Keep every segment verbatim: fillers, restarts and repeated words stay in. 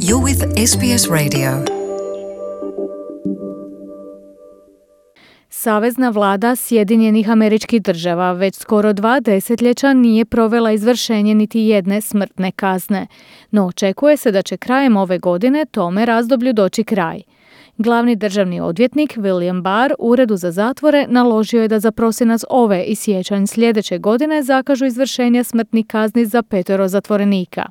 You're with S B S Radio. Savezna vlada Sjedinjenih Američkih Država već skoro dva desetljeća nije provela izvršenje niti jedne smrtne kazne, no očekuje se da će krajem ove godine tome razdoblju doći kraj. Glavni državni odvjetnik William Barr Uredu za zatvore naložio je da za prosinac ove i siječanj sljedeće godine zakažu izvršenje smrtnih kazni za petero zatvorenika.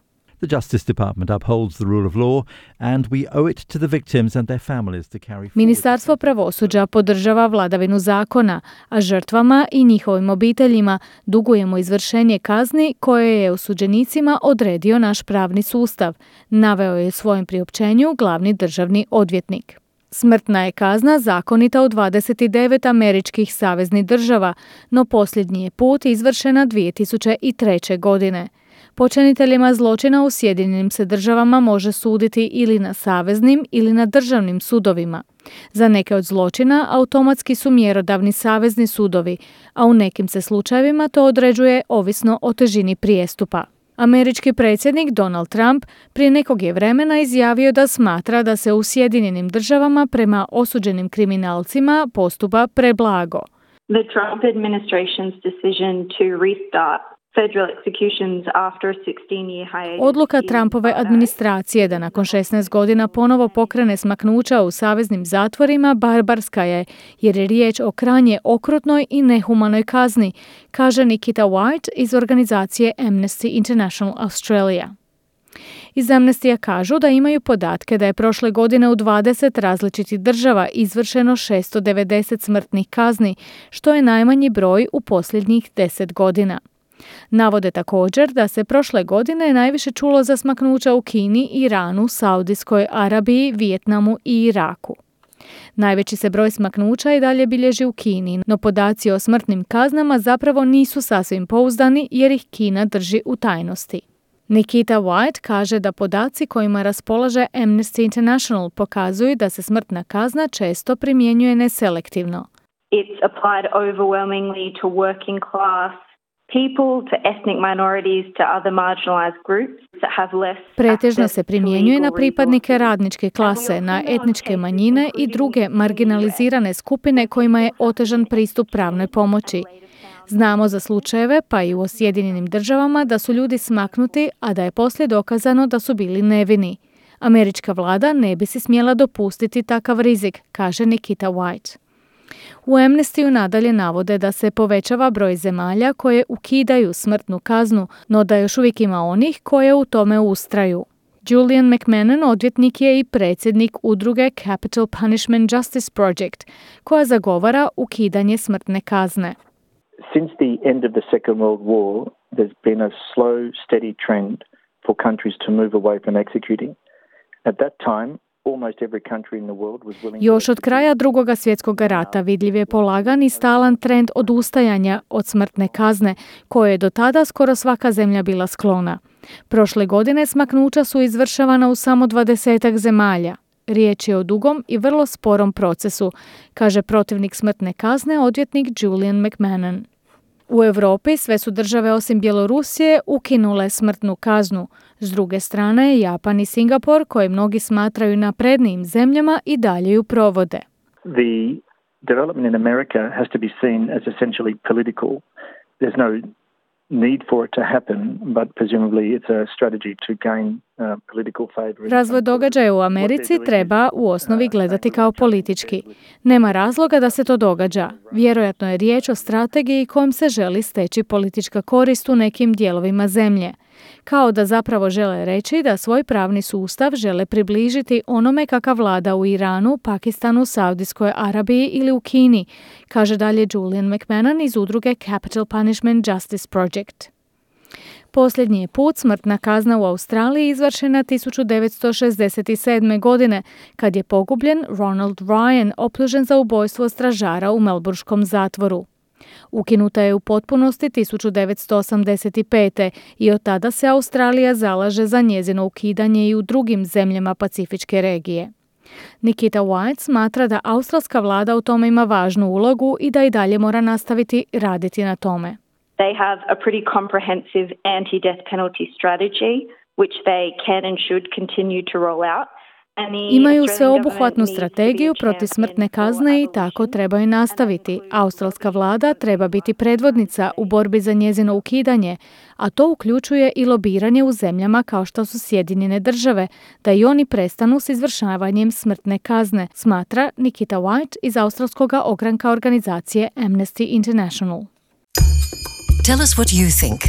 The Justice Department upholds the rule of law and we owe it to the victims and their families to carry forward. Ministarstvo pravosuđa podržava vladavinu zakona, a žrtvama i njihovim obiteljima dugujemo izvršenje kazni koje je osuđenicima odredio naš pravni sustav, naveo je u svojem priopćenju glavni državni odvjetnik. Smrtna je kazna zakonita u dvadeset devet američkih saveznih država, no posljednji je put izvršena dvije tisuće treće. godine. Počiniteljima zločina u Sjedinjenim se državama može suditi ili na saveznim ili na državnim sudovima. Za neke od zločina automatski su mjerodavni savezni sudovi, a u nekim se slučajevima to određuje ovisno o težini prijestupa. Američki predsjednik Donald Trump prije nekog je vremena izjavio da smatra da se u Sjedinjenim državama prema osuđenim kriminalcima postupa preblago. The Trump administration's decision to restart federal executions after a sixteen-year hiatus. Odluka Trumpove administracije da nakon šesnaest godina ponovo pokrene smaknuća u saveznim zatvorima barbarska je, jer je riječ o krajnje okrutnoj i nehumanoj kazni, kaže Nikita White iz organizacije Amnesty International Australia. Iz Amnestija kažu da imaju podatke da je prošle godine u dvadeset različitih država izvršeno šesto devedeset smrtnih kazni, što je najmanji broj u posljednjih deset godina. Navode također da se prošle godine najviše čulo za smaknuća u Kini, Iranu, Saudijskoj Arabiji, Vijetnamu i Iraku. Najveći se broj smaknuća i dalje bilježi u Kini, no podaci o smrtnim kaznama zapravo nisu sasvim pouzdani jer ih Kina drži u tajnosti. Nikita White kaže da podaci kojima raspolaže Amnesty International pokazuju da se smrtna kazna često primjenjuje neselektivno. It's applied overwhelmingly to working class people, to ethnic minorities, to other marginalized groups that have less. Pretežno se primjenjuje na pripadnike radničke klase, na etničke manjine i druge marginalizirane skupine kojima je otežan pristup pravnoj pomoći. Znamo za slučajeve, pa i u Sjedinjenim državama, da su ljudi smaknuti, a da je poslije dokazano da su bili nevini. Američka vlada ne bi si smjela dopustiti takav rizik, kaže Nikita White. U Amnestyju nadalje navode da se povećava broj zemalja koje ukidaju smrtnu kaznu, no da još uvijek ima onih koje u tome ustraju. Julian McMahon odvjetnik je i predsjednik udruge Capital Punishment Justice Project, koja zagovara ukidanje smrtne kazne. Since the end of the Second World War, there's been a slow, steady trend for countries to move away from executing. At that time, Još od kraja Drugoga svjetskog rata vidljiv je polagan i stalan trend odustajanja od smrtne kazne, koje je do tada skoro svaka zemlja bila sklona. Prošle godine smaknuća su izvršavana u samo dvadesetak zemalja. Riječ je o dugom i vrlo sporom procesu, kaže protivnik smrtne kazne odvjetnik Julian McMahon. U Europi sve su države osim Bjelorusije ukinule smrtnu kaznu. S druge strane, Japan i Singapur, koje mnogi smatraju naprednijim zemljama, i dalje ju provode. The development in America has to be seen as essentially political. There's no need for it to happen, but presumably it's a strategy to gain uh, political favor. Razvoj događaja u Americi treba u osnovi gledati kao politički. Nema razloga da se to događa. Vjerojatno je riječ o strategiji kojom se želi steći politička korist u nekim dijelovima zemlje. Kao da zapravo žele reći da svoj pravni sustav žele približiti onome kakav vlada u Iranu, Pakistanu, Saudijskoj Arabiji ili u Kini, kaže dalje Julian McMahon iz udruge Capital Punishment Justice Project. Posljednji je put smrtna kazna u Australiji izvršena tisuću devetsto šezdeset sedme. godine, kad je pogubljen Ronald Ryan, optužen za ubojstvo stražara u melburnskom zatvoru. Ukinuta je u potpunosti tisuću devetsto osamdeset pete. i od tada se Australija zalaže za njezino ukidanje i u drugim zemljama Pacifičke regije. Nikita White smatra da australska vlada u tome ima važnu ulogu i da i dalje mora nastaviti raditi na tome. They have a pretty comprehensive anti-death penalty strategy which they can and should continue to roll out. Imaju sveobuhvatnu strategiju protiv smrtne kazne i tako trebaju nastaviti. Australska vlada treba biti predvodnica u borbi za njezino ukidanje, a to uključuje i lobiranje u zemljama kao što su Sjedinjene države, da i oni prestanu s izvršavanjem smrtne kazne, smatra Nikita White iz australskog ogranka organizacije Amnesty International. Tell us what you think.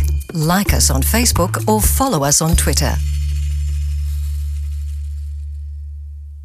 Like us on Facebook or follow us on Twitter.